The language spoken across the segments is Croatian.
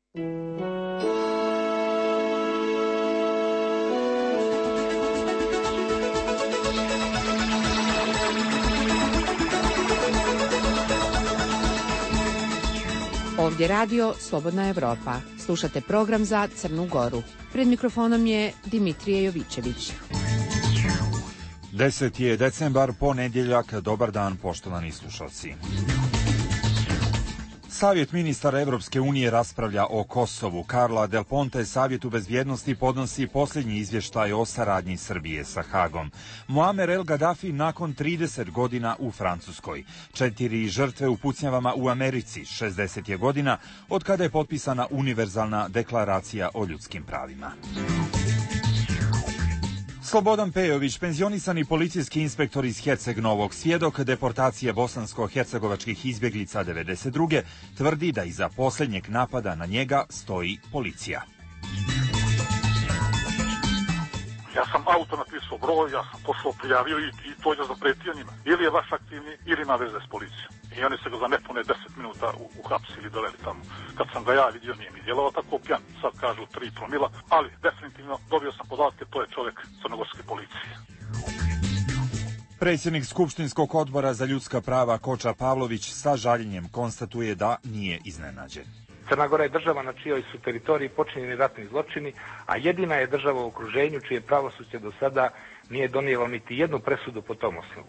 Ovdje radio Slobodna Evropa. Slušate program za Crnu Goru. Pred mikrofonom je Dimitrije Jovićević. 10. je decembar, ponedjeljak. Dobar dan, poštovani slušalci. Savjet ministara Evropske unije raspravlja o Kosovu. Carla Del Ponte Savjetu bezbjednosti podnosi posljednji izvještaj o saradnji Srbije sa Hagom. Muamer El Gaddafi nakon 30 godina u Francuskoj. 4 žrtve u pucnjavama u Americi. 60 je godina od kada je potpisana univerzalna deklaracija o ljudskim pravima. Slobodan Pejović, penzionisani policijski inspektor iz Herceg Novog, svjedok deportacije bosansko-hercegovačkih izbjeglica 92. tvrdi da iza posljednjeg napada na njega stoji policija. Ja sam auto napisao broj, ja sam poslao prijavio i to je zapretio njima. Ili je vaš aktivni, ili ima veze s policijom. I oni se ga za nepune 10 minuta uhapsili, doveli tamo. Kad sam ga ja vidio, nije mi djelovao tako pjan. Sad kažu 3 promila, ali definitivno dobio sam podatke, to je čovjek crnogorske policije. Predsjednik Skupštinskog odbora za ljudska prava Koča Pavlović sa žaljenjem konstatuje da nije iznenađen. Crna Gora je država na čijoj su teritoriji počinjeni ratni zločini, a jedina je država u okruženju čije pravosuđe do sada nije donijelo niti jednu presudu po tom osnovu.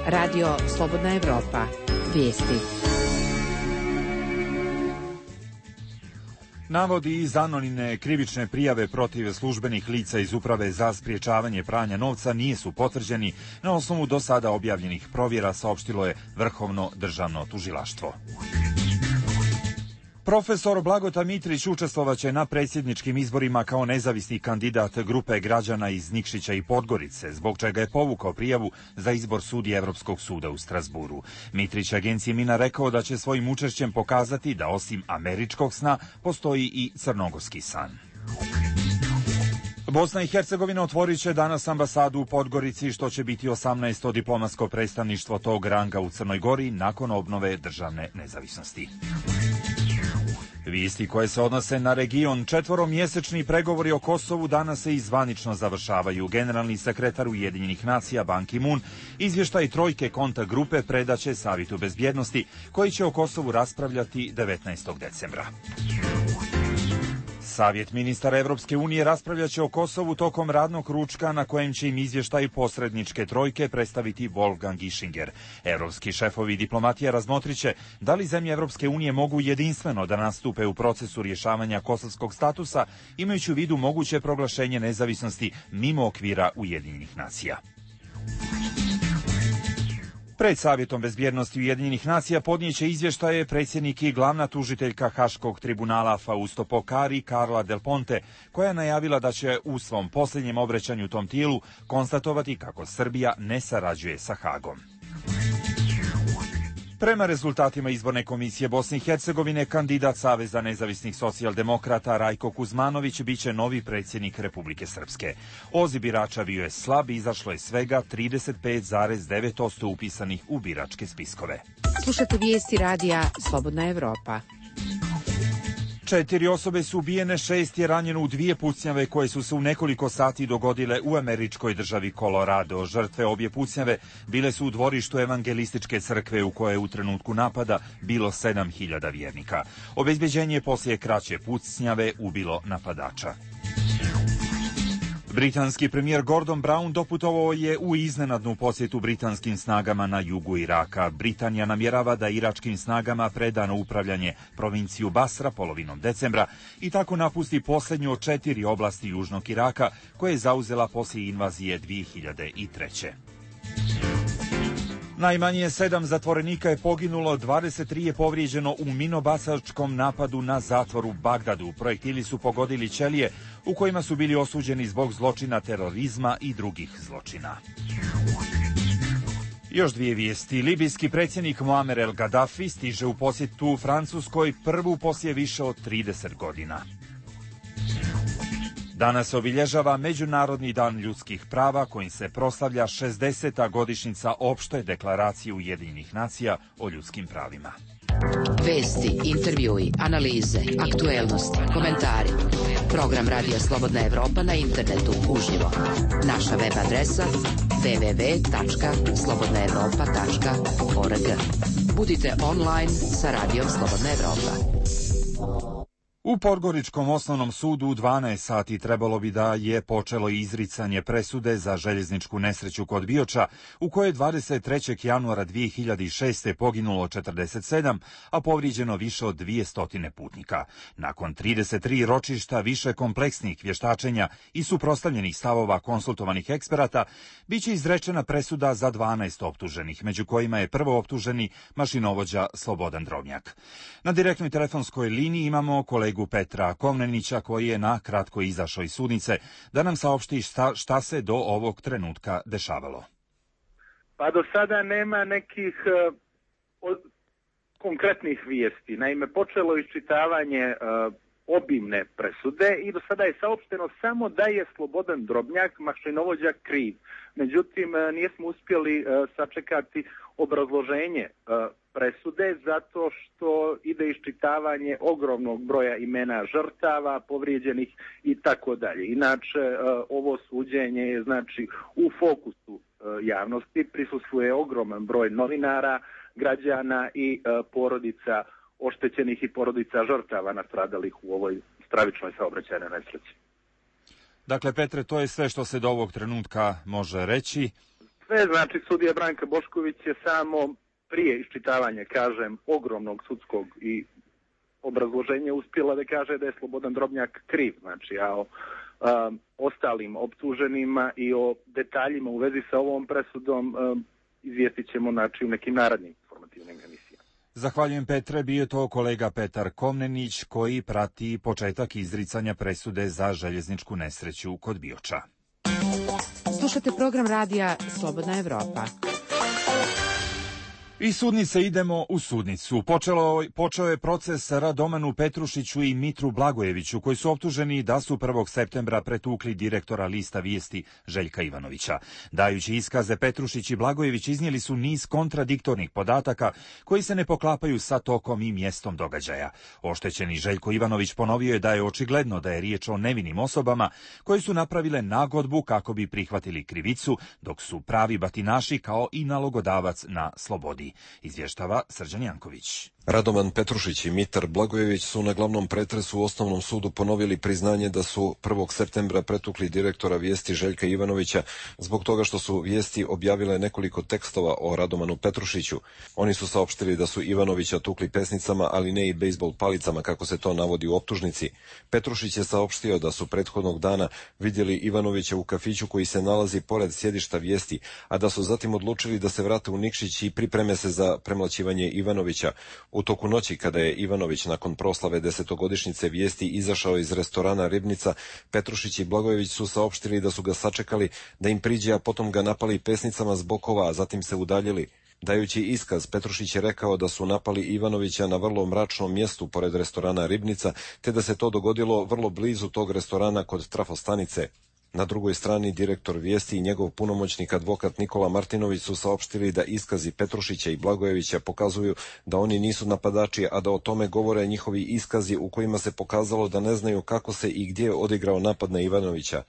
Radio Slobodna Evropa. Vijesti. Navodi iz anonimne krivične prijave protiv službenih lica iz Uprave za sprječavanje pranja novca nisu potvrđeni na osnovu do sada objavljenih provjera, saopštilo je Vrhovno državno tužilaštvo. Profesor Blagota Mitrić učestvovaće na predsjedničkim izborima kao nezavisni kandidat grupe građana iz Nikšića i Podgorice, zbog čega je povukao prijavu za izbor sudije Evropskog suda u Strasburu. Mitrić agenciji Mina rekao da će svojim učešćem pokazati da osim američkog sna postoji i crnogorski san. Bosna i Hercegovina otvorit će danas ambasadu u Podgorici, što će biti 18. diplomatsko predstavništvo tog ranga u Crnoj Gori nakon obnove državne nezavisnosti. Vijesti koje se odnose na region. 4-mjesečni pregovori o Kosovu danas se i zvanično završavaju. Generalni sekretar Ujedinjenih nacija Ban Ki-moon izvještaj trojke kontakt grupe predaće Savjetu bezbjednosti, koji će o Kosovu raspravljati 19. decembra. Savjet ministara Evropske unije raspravljaće o Kosovu tokom radnog ručka na kojem će im izvještaj posredničke trojke predstaviti Wolfgang Ischinger. Evropski šefovi diplomatija razmotriće da li zemlje Evropske unije mogu jedinstveno da nastupe u procesu rješavanja kosovskog statusa, imajući u vidu moguće proglašenje nezavisnosti mimo okvira Ujedinjenih nacija. Pred Savjetom bezbjednosti Ujedinjenih nacija podnijeće izvještaje predsjednik i glavna tužiteljka Haškog tribunala Fausto Pokari Carla Del Ponte, koja je najavila da će u svom posljednjem obraćanju tom tijelu konstatovati kako Srbija ne sarađuje sa Hagom. Prema rezultatima izborne komisije Bosne i Hercegovine, kandidat Saveza nezavisnih socijaldemokrata Rajko Kuzmanović biće novi predsjednik Republike Srpske. Odziv birača bio je slab i izašlo je svega 35,9% upisanih u biračke spiskove. Slušate vijesti radija Slobodna Evropa. 4 osobe su ubijene, 6 je ranjeno u 2 pucnjave koje su se u nekoliko sati dogodile u američkoj državi Colorado. Žrtve obje pucnjave bile su u dvorištu evangelističke crkve u kojoj je u trenutku napada bilo 7.000 vjernika. Obezbeđenje poslije kraće pucnjave ubilo napadača. Britanski premijer Gordon Brown doputovao je u iznenadnu posjetu britanskim snagama na jugu Iraka. Britanija namjerava da iračkim snagama preda na upravljanje provinciju Basra polovinom decembra i tako napusti posljednju od 4 oblasti južnog Iraka koje je zauzela poslije invazije 2003. Najmanje 7 zatvorenika je poginulo, 23 je povrijeđeno u minobacačkom napadu na zatvor u Bagdadu. Projektili su pogodili ćelije u kojima su bili osuđeni zbog zločina terorizma i drugih zločina. Još 2 vijesti. Libijski predsjednik Muamer El Gaddafi stiže u posjetu Francuskoj, prvu poslije više od 30 godina. Danas se obilježava Međunarodni dan ljudskih prava kojim se proslavlja 60. godišnjica opšte deklaracije Ujedinjenih nacija o ljudskim pravima. Vesti, intervjui, analize, aktuelnosti, komentari. Program Radija Slobodna Evropa na internetu uživo. Naša web adresa www.slobodnaevropa.org. Budite online sa Radijom Slobodna Evropa. U Podgoričkom osnovnom sudu u 12 sati trebalo bi da je počelo izricanje presude za željezničku nesreću kod Bioča, u kojoj je 23. januara 2006. poginulo 47, a povrijeđeno više od 200 putnika. Nakon 33 ročišta više kompleksnih vještačenja i suprotstavljenih stavova konsultovanih eksperata, biće izrečena presuda za 12 optuženih, među kojima je prvo optuženi mašinovođa Slobodan Drobnjak. Na direktnoj telefonskoj liniji imamo kolegu Petra Komnenića, koji je na kratko izašao iz sudnice, da nam saopšti šta se do ovog trenutka dešavalo. Pa do sada nema nekih konkretnih vijesti. Naime, počelo iščitavanje obimne presude i do sada je saopšteno samo da je Slobodan Drobnjak, mašinovođa, kriv. Međutim, nismo uspjeli sačekati obrazloženje presude zato što ide iščitavanje ogromnog broja imena žrtava, povrijeđenih i tako dalje. Inače, ovo suđenje je znači u fokusu javnosti, prisustvuje ogroman broj novinara, građana i porodica oštećenih i porodica žrtava nastradalih u ovoj stravičnoj saobraćajnoj nesreći. Dakle, Petre, to je sve što se do ovog trenutka može reći. Sve, znači, sudija Branka Bošković je samo prije iščitavanja, kažem, ogromnog sudskog i obrazloženja uspjela da kaže da je Slobodan Drobnjak kriv. Znači, a o ostalim optuženima i o detaljima u vezi sa ovom presudom izvijestit ćemo, znači, u nekim narednim informativnim emisijama. Zahvaljujem, Petre, bio to kolega Petar Komnenić, koji prati početak izricanja presude za željezničku nesreću kod Bioča. Slušate program Radija Slobodna Evropa. Iz sudnice idemo u sudnicu. Počeo je proces Radomanu Petrušiću i Mitru Blagojeviću, koji su optuženi da su 1. septembra pretukli direktora lista Vijesti Željka Ivanovića. Dajući iskaze, Petrušić i Blagojević iznijeli su niz kontradiktornih podataka koji se ne poklapaju sa tokom i mjestom događaja. Oštećeni Željko Ivanović ponovio je da je očigledno da je riječ o nevinim osobama koje su napravile nagodbu kako bi prihvatili krivicu, dok su pravi batinaši kao i nalogodavac na slobodi. Izvještava Srđan Janković. Radoman Petrušić i Mitar Blagojević su na glavnom pretresu u osnovnom sudu ponovili priznanje da su 1. septembra pretukli direktora Vijesti Željka Ivanovića zbog toga što su Vijesti objavile nekoliko tekstova o Radomanu Petrušiću. Oni su saopštili da su Ivanovića tukli pesnicama, ali ne i bejsbol palicama, kako se to navodi u optužnici. Petrušić je saopštio da su prethodnog dana vidjeli Ivanovića u kafiću koji se nalazi pored sjedišta Vijesti, a da su zatim odlučili da se vrate u Nikšić i pripreme se za premlaćivanje Ivanovića. U toku noći, kada je Ivanović nakon proslave 10-godišnjice Vijesti izašao iz restorana Ribnica, Petrušić i Blagojević su saopštili da su ga sačekali da im priđe, a potom ga napali pesnicama s bokova, a zatim se udaljili. Dajući iskaz, Petrušić je rekao da su napali Ivanovića na vrlo mračnom mjestu pored restorana Ribnica, te da se to dogodilo vrlo blizu tog restorana kod trafostanice. Na drugoj strani direktor Vijesti i njegov punomoćnik advokat Nikola Martinović su saopštili da iskazi Petrušića i Blagojevića pokazuju da oni nisu napadači, a da o tome govore njihovi iskazi u kojima se pokazalo da ne znaju kako se i gdje odigrao napad na Ivanovića.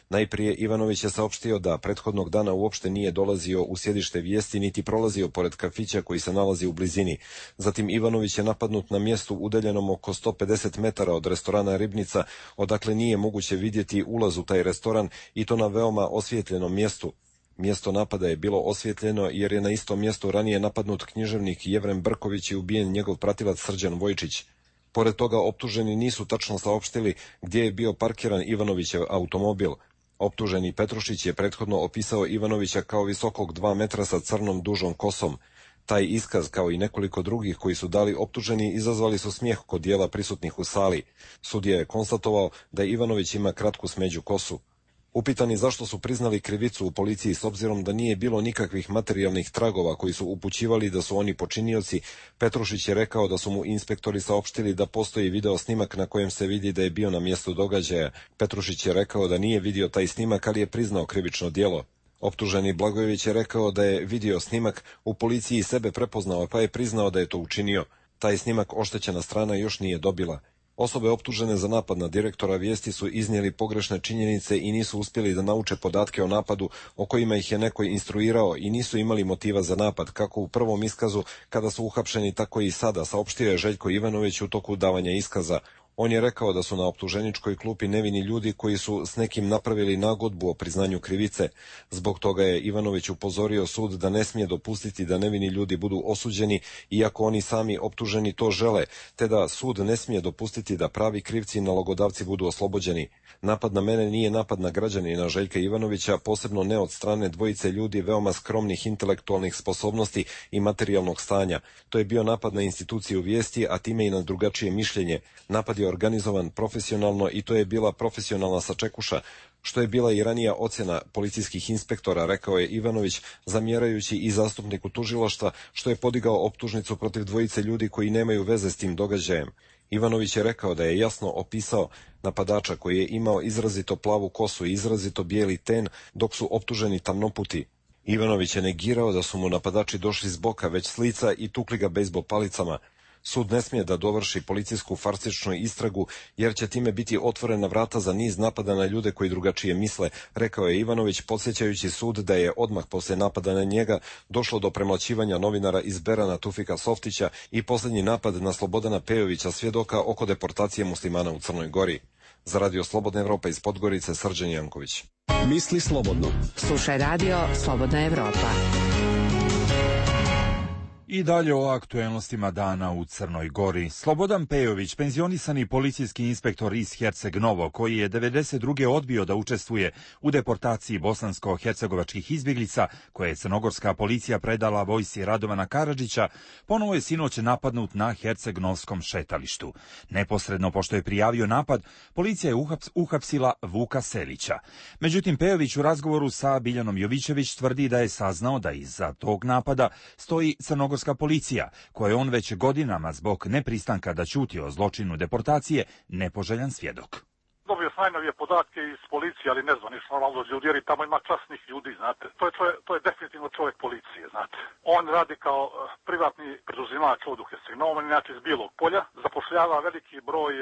Najprije Ivanović je saopštio da prethodnog dana uopšte nije dolazio u sjedište Vijesti niti prolazio pored kafića koji se nalazi u blizini. Zatim Ivanović je napadnut na mjestu udaljenom oko 150 metara od restorana Ribnica, odakle nije moguće vidjeti ulaz u taj restoran i to na veoma osvijetljenom mjestu. Mjesto napada je bilo osvjetljeno jer je na istom mjestu ranije napadnut književnik Jevrem Brković i ubijen njegov pratilac Srđan Vojčić. Pored toga, optuženi nisu tačno saopštili gdje je bio parkiran Ivanovićev automobil. Optuženi Petrušić je prethodno opisao Ivanovića kao visokog 2 metra sa crnom dužom kosom. Taj iskaz, kao i nekoliko drugih koji su dali optuženi, izazvali su smijeh kod dijela prisutnih u sali. Sudija je konstatovao da Ivanović ima kratku smeđu kosu. Upitani zašto su priznali krivicu u policiji s obzirom da nije bilo nikakvih materijalnih tragova koji su upućivali da su oni počinioci, Petrušić je rekao da su mu inspektori saopštili da postoji video snimak na kojem se vidi da je bio na mjestu događaja. Petrušić je rekao da nije vidio taj snimak, ali je priznao krivično djelo. Optuženi Blagojević je rekao da je vidio snimak, u policiji sebe prepoznao pa je priznao da je to učinio. Taj snimak oštećena strana još nije dobila. Osobe optužene za napad na direktora Vijesti su iznijeli pogrešne činjenice i nisu uspjeli da nauče podatke o napadu o kojima ih je neko instruirao i nisu imali motiva za napad, kako u prvom iskazu kada su uhapšeni, tako i sada, saopštio je Željko Ivanović u toku davanja iskaza. On je rekao da su na optuženičkoj klupi nevini ljudi koji su s nekim napravili nagodbu o priznanju krivice. Zbog toga je Ivanović upozorio sud da ne smije dopustiti da nevini ljudi budu osuđeni, iako oni sami optuženi to žele, te da sud ne smije dopustiti da pravi krivci i nalogodavci budu oslobođeni. Napad na mene nije napad na građanina Željka Ivanovića, posebno ne od strane dvojice ljudi veoma skromnih intelektualnih sposobnosti i materijalnog stanja. To je bio napad na instituciju Vijesti, a time i na drugačije mišljenje. Napad je organizovan profesionalno i to je bila profesionalna sačekuša, što je bila i ranija ocjena policijskih inspektora, rekao je Ivanović, zamjerajući i zastupniku tužilaštva što je podigao optužnicu protiv dvojice ljudi koji nemaju veze s tim događajem. Ivanović je rekao da je jasno opisao napadača koji je imao izrazito plavu kosu i izrazito bijeli ten, dok su optuženi tamnoputi. Ivanović je negirao da su mu napadači došli s boka, već s lica i tukli ga bejzbol palicama. Sud ne smije da dovrši policijsku farsičnu istragu, jer će time biti otvorena vrata za niz napada na ljude koji drugačije misle, rekao je Ivanović, podsjećajući sud da je odmah poslije napada na njega došlo do premlaćivanja novinara iz Berana Tufika Softića i posljednji napad na Slobodana Pejovića, svjedoka oko deportacije muslimana u Crnoj Gori. Za Radio Slobodna Evropa iz Podgorice, Srđan Janković. Misli slobodno. Slušaj Radio Slobodna Evropa. I dalje o aktuelnostima dana u Crnoj Gori. Slobodan Pejović, penzionisani policijski inspektor iz Herceg Novo, koji je 1992. odbio da učestvuje u deportaciji bosansko-hercegovačkih izbjeglica, koje je crnogorska policija predala vojsci Radovana Karadžića, ponovo je sinoć napadnut na Herceg-Novskom šetalištu. Neposredno pošto je prijavio napad, policija je uhapsila Vuka Selića. Međutim, Pejović u razgovoru sa Biljanom Jovićević tvrdi da je saznao da iza tog napada stoji crnogorska policija, koje on već godinama zbog nepristanka da ćuti o zločinu deportacije nepoželjan svjedok. Dobio sam najnovije podatke iz policije, ali ne znam, ništa normalno ljudi, jer tamo ima časnih ljudi, znate. To je definitivno čovjek policije, znate. On radi kao privatni preduzimač ovdje u Herceg-Novom, inače iz Bijelog polja, zapošljava veliki broj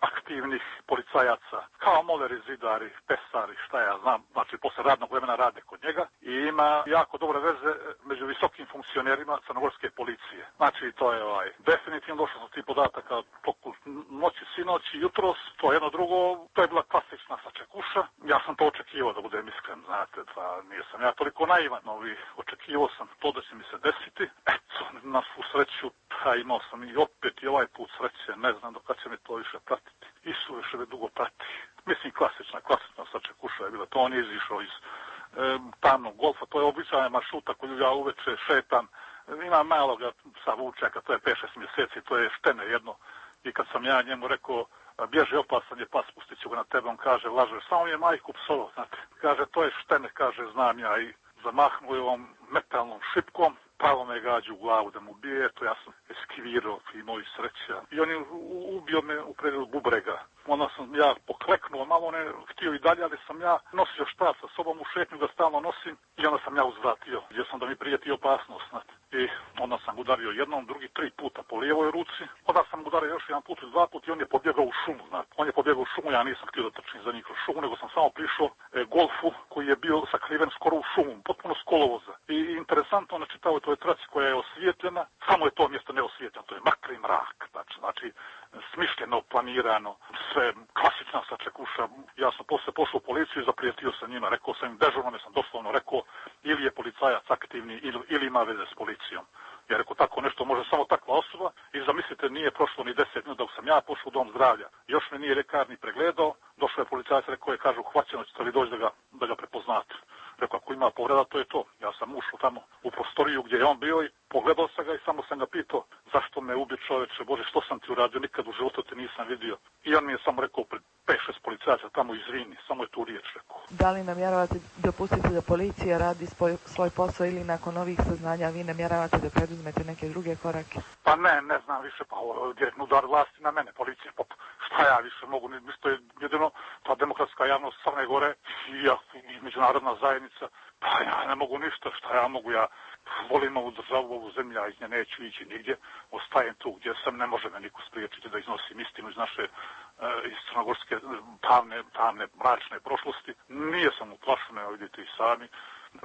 aktivnih policajaca, kao moleri, zidari, pesari, šta ja znam, znači posle radnog vremena rade kod njega i ima jako dobre veze među visokim funkcionerima crnogorske policije. Znači to je definitivno došlo sam tih podataka toku noći, sinoći, jutros, to je jedno drugo. To je bila klasična sačekuša. Ja sam to očekivao, da budem iskren, znate, pa nisam ja toliko naivan, očekivao sam to da će mi se desiti. Eto, na svu sreću, pa imao sam i opet i ovaj put sreće, ne znam do kad će me to više pratiti. I suviše me dugo prati. Mislim, klasična sačekuša je bila, to on je izišao iz tamnog golfa, to je običajna maršruta koju ja uveče šetam. Ima maloga sa vučaka, to je 5-6 mjeseci, to je štene jedno. I kad sam ja njemu rekao, bježi, opasan je pas, pustit ću ga na tebe, on kaže, lažeš, samo je majku psovo, znate. Kaže, to je štene, kaže, znam ja, i zamahnuo je ovom metalnom šipkom, pravo me gađu u glavu da mu bije, to ja sam eskivirao i moji sreća. I on je ubio me u predelu bubrega. Onda sam ja pokleknuo, malo ne htio i dalje, ali sam ja nosio štap sa sobom u šetnju da stalno nosim i onda sam ja uzvratio, gdje sam da mi prijeti opasnost, znate. I onda sam udario jednom, drugi 3 puta po lijevoj ruci, onda sam udario još jedan put i 2 puta i on je pobjegao u šumu, znate. On je pobjegao u šumu, ja nisam htio da trčim za njih kroz šumu, nego sam samo prišao golfu koji je bio sakriven skoro u šumu, potpuno s kolovoza. I interesantno na čitavoj toj traci koja je osvijetljena, samo je to mjesto neosvijetljeno, to je mrtvi mrak, znači smišljeno, planirano, sve klasična sačekuša. Ja sam posle pošao u policiju i zaprijetio sa njima, rekao sam im, dežurno sam doslovno rekao, ili je policajac aktivni ili ima veze s policijom. Jer rekao, tako nešto može samo takva osoba i zamislite, nije prošlo ni 10 minuta dok sam ja pošao u dom zdravlja. Još me nije lekar ni pregledao, došao je policajac, rekao je, kaže, uhvaćeno ćete li doći da ga prepoznate. Rekao, ako ima povreda, to je to. Ja sam ušao tamo u prostoriju gdje je on bio i pogledao sam ga i samo sam ga pitao, zašto me ubi čoveče, Bože, što sam ti uradio, nikad u životu te nisam vidio. I on mi je samo rekao pred 5-6 policajaca tamo, izvini, samo je tu riječ rekao. Da li namjeravate dopustiti da policija radi svoj posao ili nakon ovih saznanja vi namjeravate da preduzmete neke druge korake? Pa ne znam više, pa direktno udar vlasti na mene, policija, pa šta ja više mogu, to je jedino ta demokratska javnost Crne Gore i međunarodna zajednica, pa ja ne mogu ništa, šta ja mogu, ja volim ovu državu, ovu zemlju, ja iz nje neću ići nigdje, stajem tu gdje sam, ne može me niko spriječiti da iznosim istinu iz naše iz crnogorske tamne, mračne prošlosti. Nije sam uplašen, evo vidite i sami.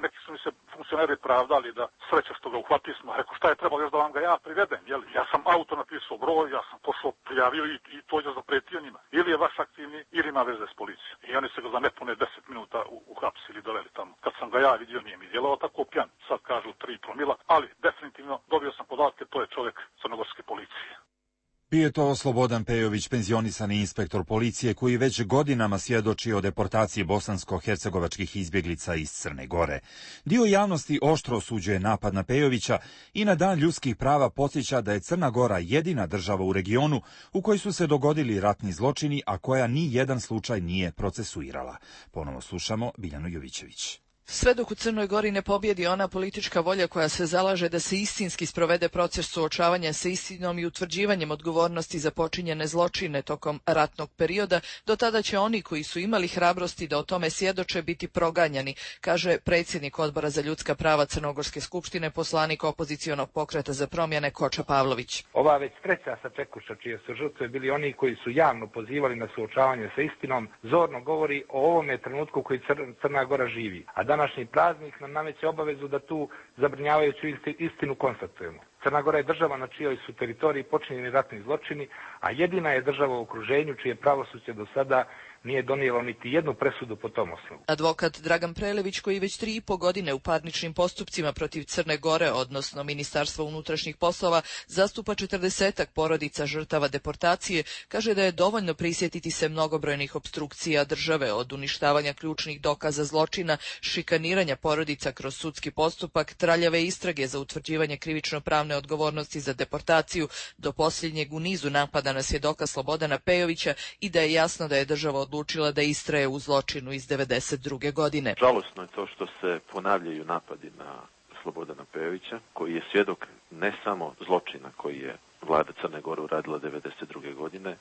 Neki su mi se funkcioneri pravdali da sreća što ga uhvatili smo. Rekao, šta je trebalo još da vam ga ja privedem? Jel? Ja sam auto napisao broj, ja sam pošao, prijavio i to je zapretio njima. Ili je vaš aktivni, ili ima veze s policijom. I oni se ga za nepune 10 minuta uhapsili, doveli tamo. Kad sam ga ja vidio, nije mi djelovao tako pjan. Sad kažu 3 promila, ali definitivno dobio sam podatke, to je čovjek crnogorske policije. Bio je to Slobodan Pejović, penzionisani inspektor policije koji već godinama svjedoči o deportaciji bosansko-hercegovačkih izbjeglica iz Crne Gore. Dio javnosti oštro osuđuje napad na Pejovića i na Dan ljudskih prava podsjeća da je Crna Gora jedina država u regionu u kojoj su se dogodili ratni zločini, a koja ni jedan slučaj nije procesuirala. Ponovo slušamo Biljanu Jovićević. Sve dok u Crnoj Gori ne pobjedi ona politička volja koja se zalaže da se istinski sprovede proces suočavanja sa istinom i utvrđivanjem odgovornosti za počinjene zločine tokom ratnog perioda, do tada će oni koji su imali hrabrosti da o tome svjedoče biti proganjani, kaže predsjednik Odbora za ljudska prava Crnogorske skupštine, poslanik opozicionog pokreta za promjene Koča Pavlović. Ova već treća sačekuša čije su žrtve bili oni koji su javno pozivali na suočavanje sa istinom, zorno govori o ovome trenutku koji Crna Gora živi. A današnji praznik nam nameće obavezu da tu zabrinjavajuću istinu konstatujemo. Crna Gora je država na čijoj su teritoriji počinjeni ratni zločini, a jedina je država u okruženju čije pravosuđe do sada nije donijelo niti jednu presudu po tom osnovu. Advokat Dragan Prelević, koji već 3,5 godine u parničnim postupcima protiv Crne Gore, odnosno Ministarstva unutrašnjih poslova, zastupa 40-ak porodica žrtava deportacije, kaže da je dovoljno prisjetiti se mnogobrojnih opstrukcija države, od uništavanja ključnih dokaza zločina, šikaniranja porodica kroz sudski postupak, traljave istrage za utvrđivanje krivično-pravne odgovornosti za deportaciju, do posljednjeg u nizu napada na svjedoka Slobodana Pejovića, i da je jasno da je država odlučila da istraje u zločinu iz 1992. godine. Žalosno je to što se ponavljaju napadi na Slobodana Pejovića, koji je svjedok ne samo zločina koji je vlada Crne Gore uradila 1992. godine,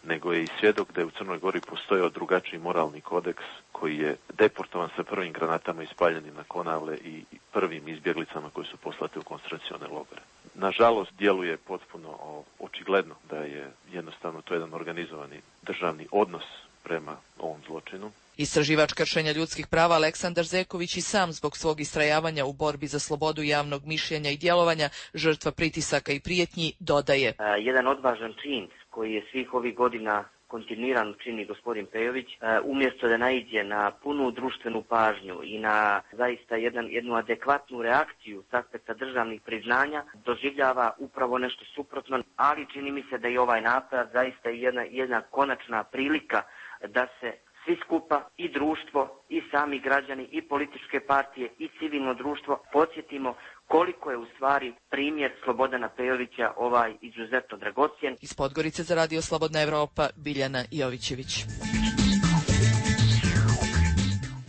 nego je i svjedok da je u Crnoj Gori postojao drugačiji moralni kodeks koji je deportovan sa prvim granatama ispaljenim na Konavle i prvim izbjeglicama koji su poslate u koncentracione logore. Nažalost, djeluje potpuno očigledno da je jednostavno to jedan organizovani državni odnos prema ovom zločinu. Istraživač kršenja ljudskih prava Aleksandar Zeković i sam zbog svog istrajavanja u borbi za slobodu javnog mišljenja i djelovanja, žrtva pritisaka i prijetnji, dodaje. Jedan odvažan čin koji je svih ovih godina kontinuirano čini gospodin Pejović, umjesto da naiđe na punu društvenu pažnju i na zaista jednu adekvatnu reakciju s aspekta državnih priznanja, doživljava upravo nešto suprotno, ali čini mi se da i ovaj napad zaista je jedna konačna prilika da se svi skupa, i društvo, i sami građani, i političke partije, i civilno društvo podsjetimo koliko je u stvari primjer Slobodana Pejovića ovaj izuzetno dragocjen. Iz Podgorice za Radio Slobodna Evropa, Biljana Jovićević.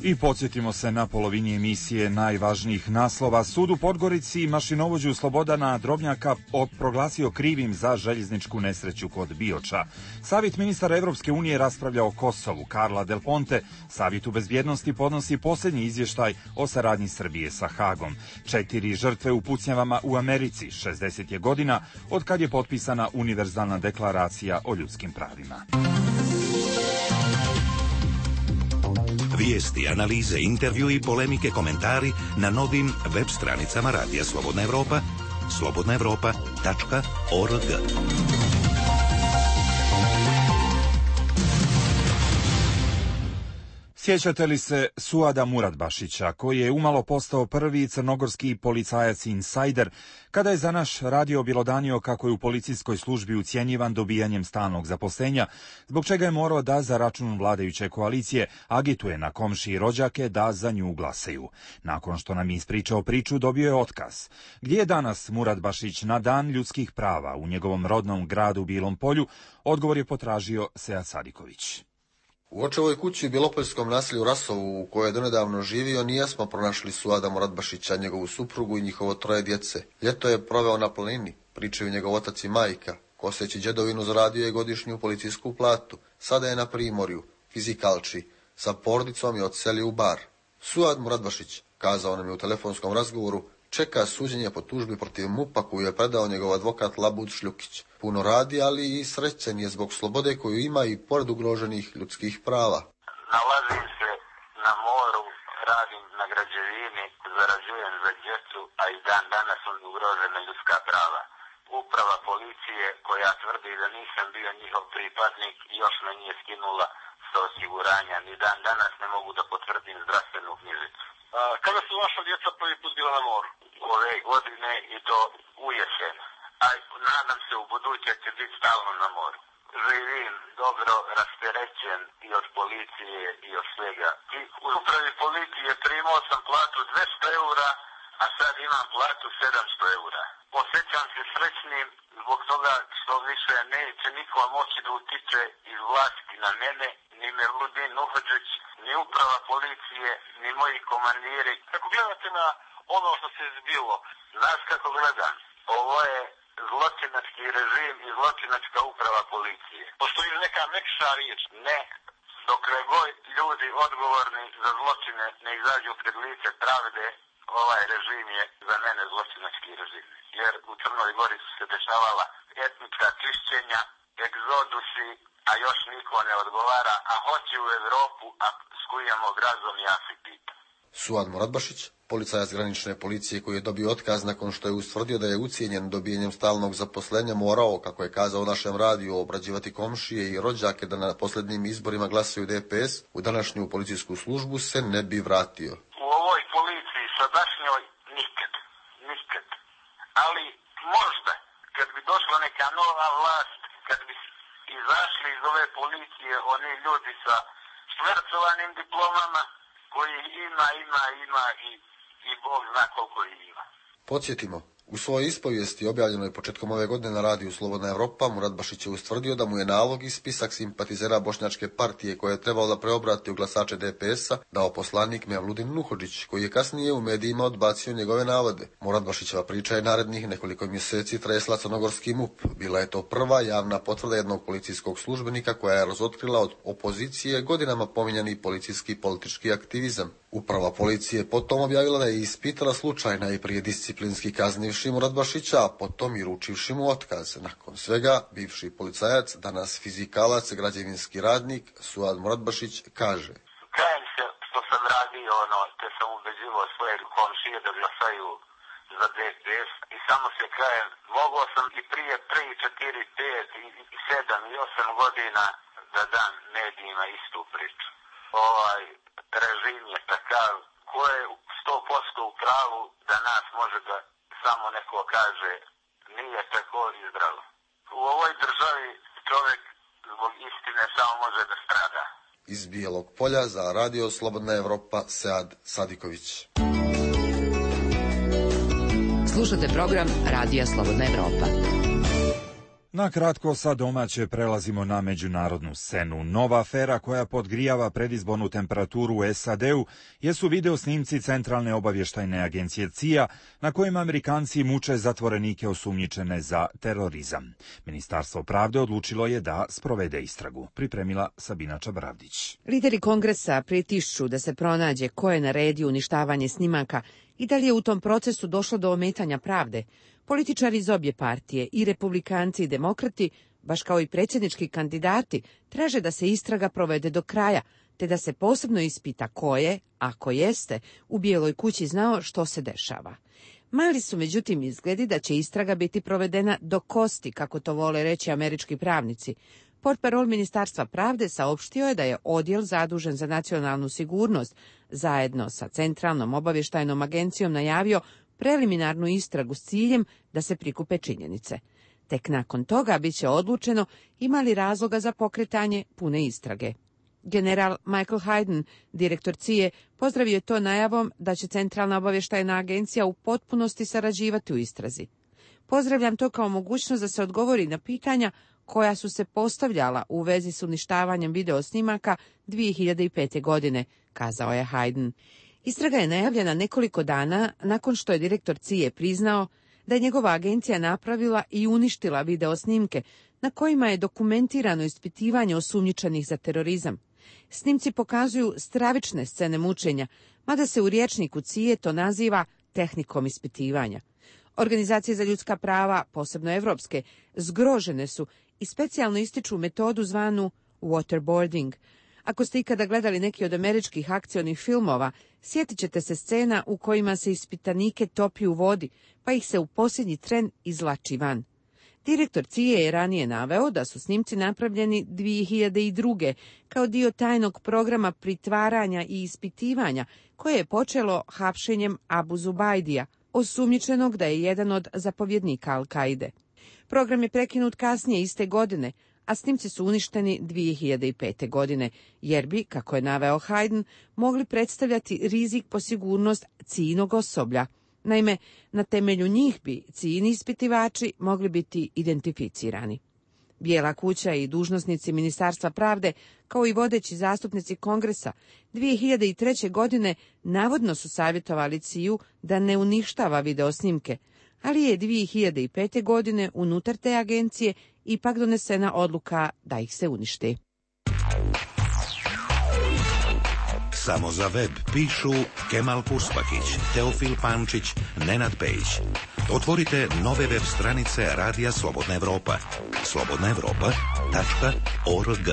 I podsjetimo se na polovini emisije najvažnijih naslova. Sud u Podgorici mašinovođu Slobodana Drobnjaka proglasio krivim za željezničku nesreću kod Bioča. Savjet ministara Evropske unije raspravlja o Kosovu. Carla Del Ponte, Savjetu bezbjednosti, podnosi posljednji izvještaj o saradnji Srbije sa Hagom. 4 žrtve u pucnjavama u Americi. 60 je godina od kad je potpisana Univerzalna deklaracija o ljudskim pravima. Vijesti, analize, intervju i polemike, komentari na novim web stranicama Radija Slobodna Evropa, slobodnaevropa.org. Sjećate li se Suada Muratbašića, koji je umalo postao prvi crnogorski policajac insajder, kada je za naš radio bjelodanio kako je u policijskoj službi ucjenjivan dobijanjem stalnog zaposlenja, zbog čega je morao da za račun vladajuće koalicije agituje na komšije i rođake da za nju glasaju. Nakon što nam je ispričao priču, dobio je otkaz. Gdje je danas Muratbašić na Dan ljudskih prava u njegovom rodnom gradu Bilom Polju, odgovor je potražio Sead Sadiković. U očevoj kući u Bjelopoljskom naselju Rasovu, u kojoj je donedavno živio, nismo pronašli Suada Muratbašića, njegovu suprugu i njihovo 3 djece. Ljeto je proveo na planini, pričaju njegov otac i majka. Koseći djedovinu zaradio je godišnju policijsku platu. Sada je na primorju, fizikalči, sa porodicom i odselio u Bar. Suad Muratbašić, kazao nam je u telefonskom razgovoru, čeka suđenje po tužbi protiv MUP-a koju je predao njegov advokat Labud Šljukić. Puno radi, ali i srećen je zbog slobode koju ima i pored ugroženih ljudskih prava. Nalazim se na moru, radim na građevini, zarađujem za djecu, a i dan danas su ugrožena ljudska prava. Uprava policije koja tvrdi da nisam bio njihov pripadnik još me nije skinula sa osiguranja. Ni dan danas ne mogu da potvrdim zdravstvenu knjižicu. Kada su vaša djeca prvi put bila na moru? Ove godine i to ujesen. A nadam se u buduće će biti stalno na moru. Živim dobro rasterećen i od policije i od svega. I u upravi policije primao sam platu 200 eura, a sad imam platu 700 eura. Osjećam se srećnim zbog toga što više neće niko moći da utiče iz vlasti na mene, ni Mevludin Nuhodžić, ni uprava policije, ni moji komandiri. Kako gledate na ono što se zbilo? Znaš kako gledam? Ovo je zločinački režim i zločinačka uprava policije. Postoji li neka mekša riječ? Ne. Dokle god ljudi odgovorni za zločine ne izađu pred lice pravde, ovaj režim je za mene zločinački režim. Jer u Crnoj Gori su se dešavala etnička čišćenja, egzodusi, a još niko ne odgovara, a hoće u Evropu, a skujemo grazom ja se pitam. Suad Muradbašić, policajac granične policije koji je dobio otkaz nakon što je ustvrdio da je ucijenjen dobijenjem stalnog zaposlenja, morao, kako je kazao našem radiju, obrađivati komšije i rođake da na posljednjim izborima glasaju DPS, u današnju policijsku službu se ne bi vratio. U ovoj policiji sadašnjoj nikad. Ali možda, kad bi došla neka nova vlast, kad bi izašli iz ove policije oni ljudi sa švercovanim diplomama, koji ima i Bog zna koliko ima. Podsjetimo, u svojoj ispovijesti objavljenoj početkom ove godine na radiju Slobodna Evropa, Muradbašić je ustvrdio da mu je nalog i spisak simpatizera Bošnjačke partije koje je trebalo da preobrati u glasače DPS-a dao poslanik Mevludin Nuhodžić, koji je kasnije u medijima odbacio njegove navode. Muradbašićeva priča je narednih nekoliko mjeseci tresla crnogorski MUP. Bila je to prva javna potvrda jednog policijskog službenika koja je razotkrila od opozicije godinama pominjani policijski politički aktivizam. Uprava policije potom objavila da je ispitala slučaj najprije disciplinski kaznivši Muradbašića, a potom i ručivši mu otkaz. Nakon svega, bivši policajac, danas fizikalac, građevinski radnik, Suad Muradbašić kaže: Kajem se što sam radio te sam ubeđivao svoje komšije da glasaju za DPS i samo se kajem, mogao sam i prije 3, 4, 5, 7 i 8 godina da dam medijima istu priču. Ovaj režim je takav ko je 100% u pravu da nas može da samo neko kaže nije tako i zdravo. U ovoj državi čovjek zbog istine samo može da strada. Iz Bijelog Polja za radio Slobodna Evropa, Sead Sadiković. Slušate program Radija Slobodna Evropa. Na kratko sa domaće prelazimo na međunarodnu scenu. Nova afera koja podgrijava predizbornu temperaturu u SAD-u jesu video snimci Centralne obavještajne agencije CIA na kojima Amerikanci muče zatvorenike osumnjičene za terorizam. Ministarstvo pravde odlučilo je da sprovede istragu. Pripremila Sabina Čabravdić. Lideri kongresa pritišću da se pronađe ko je naredio uništavanje snimaka i da li je u tom procesu došlo do ometanja pravde. Političari iz obje partije, i republikanci i demokrati, baš kao i predsjednički kandidati, traže da se istraga provede do kraja, te da se posebno ispita ko je, ako jeste, u Bijeloj kući znao što se dešava. Mali su međutim izgledi da će istraga biti provedena do kosti, kako to vole reći američki pravnici. Portparol Ministarstva pravde saopštio je da je odjel zadužen za nacionalnu sigurnost zajedno sa Centralnom obavještajnom agencijom najavio preliminarnu istragu s ciljem da se prikupe činjenice. Tek nakon toga bit će odlučeno ima li razloga za pokretanje pune istrage. General Michael Hayden, direktor CIA, pozdravio je to najavom da će Centralna obavještajna agencija u potpunosti sarađivati u istrazi. Pozdravljam to kao mogućnost da se odgovori na pitanja koja su se postavljala u vezi s uništavanjem videosnimaka 2005. godine, kazao je Hayden. Istraga je najavljena nekoliko dana nakon što je direktor CIA priznao da je njegova agencija napravila i uništila videosnimke na kojima je dokumentirano ispitivanje osumnjičenih za terorizam. Snimci pokazuju stravične scene mučenja, mada se u rječniku CIA to naziva tehnikom ispitivanja. Organizacije za ljudska prava, posebno evropske, zgrožene su i specijalno ističu metodu zvanu waterboarding. Ako ste ikada gledali neki od američkih akcionih filmova, sjetit ćete se scena u kojima se ispitanike topi u vodi, pa ih se u posljednji tren izvlači van. Direktor CIA je ranije naveo da su snimci napravljeni 2002. kao dio tajnog programa pritvaranja i ispitivanja koje je počelo hapšenjem Abu Zubaidija, osumnjičenog da je jedan od zapovjednika Al-Kaide. Program je prekinut kasnije iste godine, a snimci su uništeni 2005. godine, jer bi, kako je naveo Hayden, mogli predstavljati rizik po sigurnost CIA-inog osoblja. Naime, na temelju njih bi CIA-ini ispitivači mogli biti identificirani. Bijela kuća i dužnosnici Ministarstva pravde, kao i vodeći zastupnici Kongresa, 2003. godine navodno su savjetovali CIA-u da ne uništava videosnimke, ali je 2005. godine unutar te agencije ipak donesena odluka da ih se uništi. Samo za web pišu Kemal Puspakić, Teofil Pančić, Nenad Pejić. Otvorite nove web stranice Radija Slobodna Evropa. slobodnaevropa.org.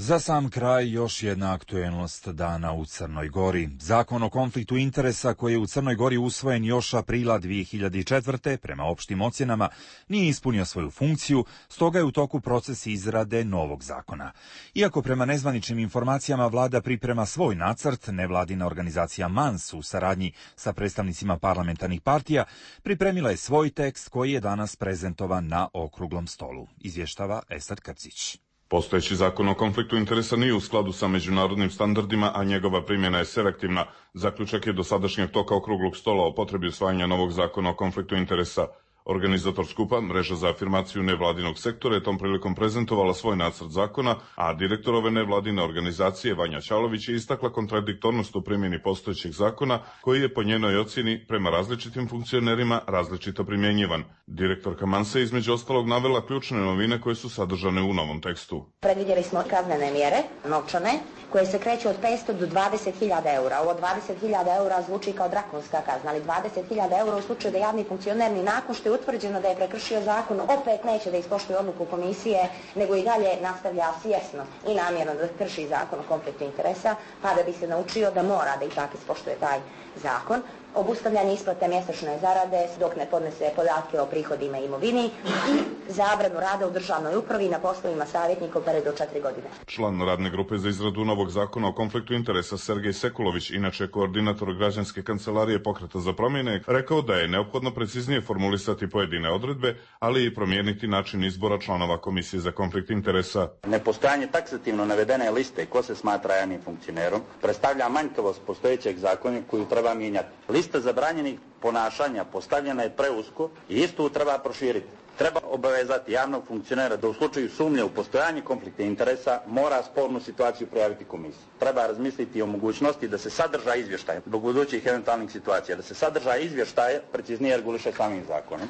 Za sam kraj još jedna aktuelnost dana u Crnoj Gori. Zakon o konfliktu interesa koji je u Crnoj Gori usvojen još aprila 2004. prema opštim ocjenama nije ispunio svoju funkciju, stoga je u toku proces izrade novog zakona. Iako prema nezvaničnim informacijama vlada priprema svoj nacrt, nevladina organizacija MANS u saradnji sa predstavnicima parlamentarnih partija pripremila je svoj tekst koji je danas prezentovan na okruglom stolu, izvještava Esad Krcić. Postojeći zakon o konfliktu interesa nije u skladu sa međunarodnim standardima, a njegova primjena je selektivna. Zaključak je dosadašnjeg toka okruglog stola o potrebi usvajanja novog zakona o konfliktu interesa. Organizator skupa, Mreža za afirmaciju nevladinog sektora, je tom prilikom prezentovala svoj nacrt zakona, a direktor ove nevladine organizacije, Vanja Ćalović, je istakla kontradiktornost u primjeni postojećeg zakona, koji je po njenoj ocjeni prema različitim funkcionerima različito primjenjivan. Direktorka Mansa je između ostalog navela ključne novine koje su sadržane u novom tekstu. Predvidjeli smo kaznene mjere, novčane, koje se kreću od 500 do 20.000 eura. Ovo 20.000 eura zvuči kao drakonska kazna, ali 20.000 eura u slučaju da javni funkcioner ni nakon što je utvrđeno da je prekršio zakon opet neće da ispoštuje odluku komisije, nego i dalje nastavlja svjesno i namjerno da krši zakon o konfliktu interesa, pa da bi se naučio da mora da ipak ispoštuje taj zakon. Obustavljanje isplate mjesečne zarade dok ne podnese podatke o prihodima i imovini i zabranu rada u državnoj upravi na poslovima savjetnika u periodu od 4 godine. Član radne grupe za izradu novog zakona o konfliktu interesa Sergej Sekulović, inače koordinator građanske kancelarije Pokreta za promjene, rekao da je neophodno preciznije formulisati pojedine odredbe, ali i promijeniti način izbora članova Komisije za konflikt interesa. Nepostojanje taksativno navedene liste ko se smatra javnim funkcionerom predstavlja manjkavost postojećeg zakona koju treba mijenjati. Lista zabranjenih ponašanja postavljena je preusko i istu treba proširiti. Treba obavezati javnog funkcionera da u slučaju sumnje u postojanje konflikta interesa mora spornu situaciju prijaviti komisiji. Treba razmisliti o mogućnosti da se sadržaj izvještaja zbog budućih eventualnih situacija, da se sadržaj izvještaja preciznije reguliše samim zakonom.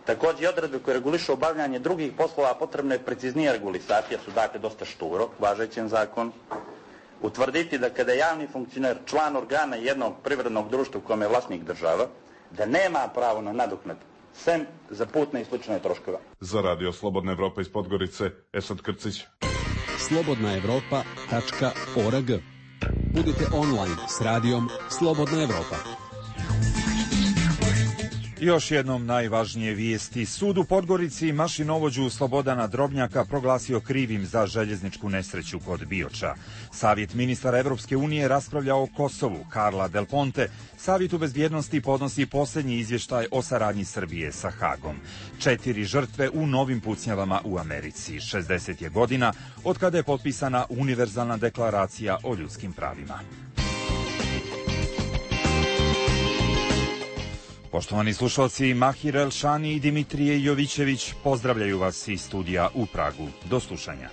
Također i odredbe koje regulišu obavljanje drugih poslova potrebno je preciznije regulisati, jer su dakle dosta šturo važećem zakonu. Utvrditi da kada je javni funkcioner član organa jednog privrednog društva u kome je vlasnik država, da nema pravo na nadoknadu, sem za putne i slične troškove. Za Radio Slobodna Evropa iz Podgorice, Esad Krcić. slobodnaevropa.org. Budite online s radijom Slobodna Evropa. Još jednom najvažnije vijesti. Sud u Podgorici mašinovođu Slobodana Drobnjaka proglasio krivim za željezničku nesreću kod Bioča. Savjet ministara Evropske unije raspravlja o Kosovu. Karla Del Ponte Savjetu bezbjednosti podnosi posljednji izvještaj o saradnji Srbije sa Hagom. 4 žrtve u novim pucnjavama u Americi. 60 je godina od kada je potpisana Univerzalna deklaracija o ljudskim pravima. Poštovani slušalci, Mahir Elšani i Dimitrije Jovićević pozdravljaju vas iz studija u Pragu. Do slušanja.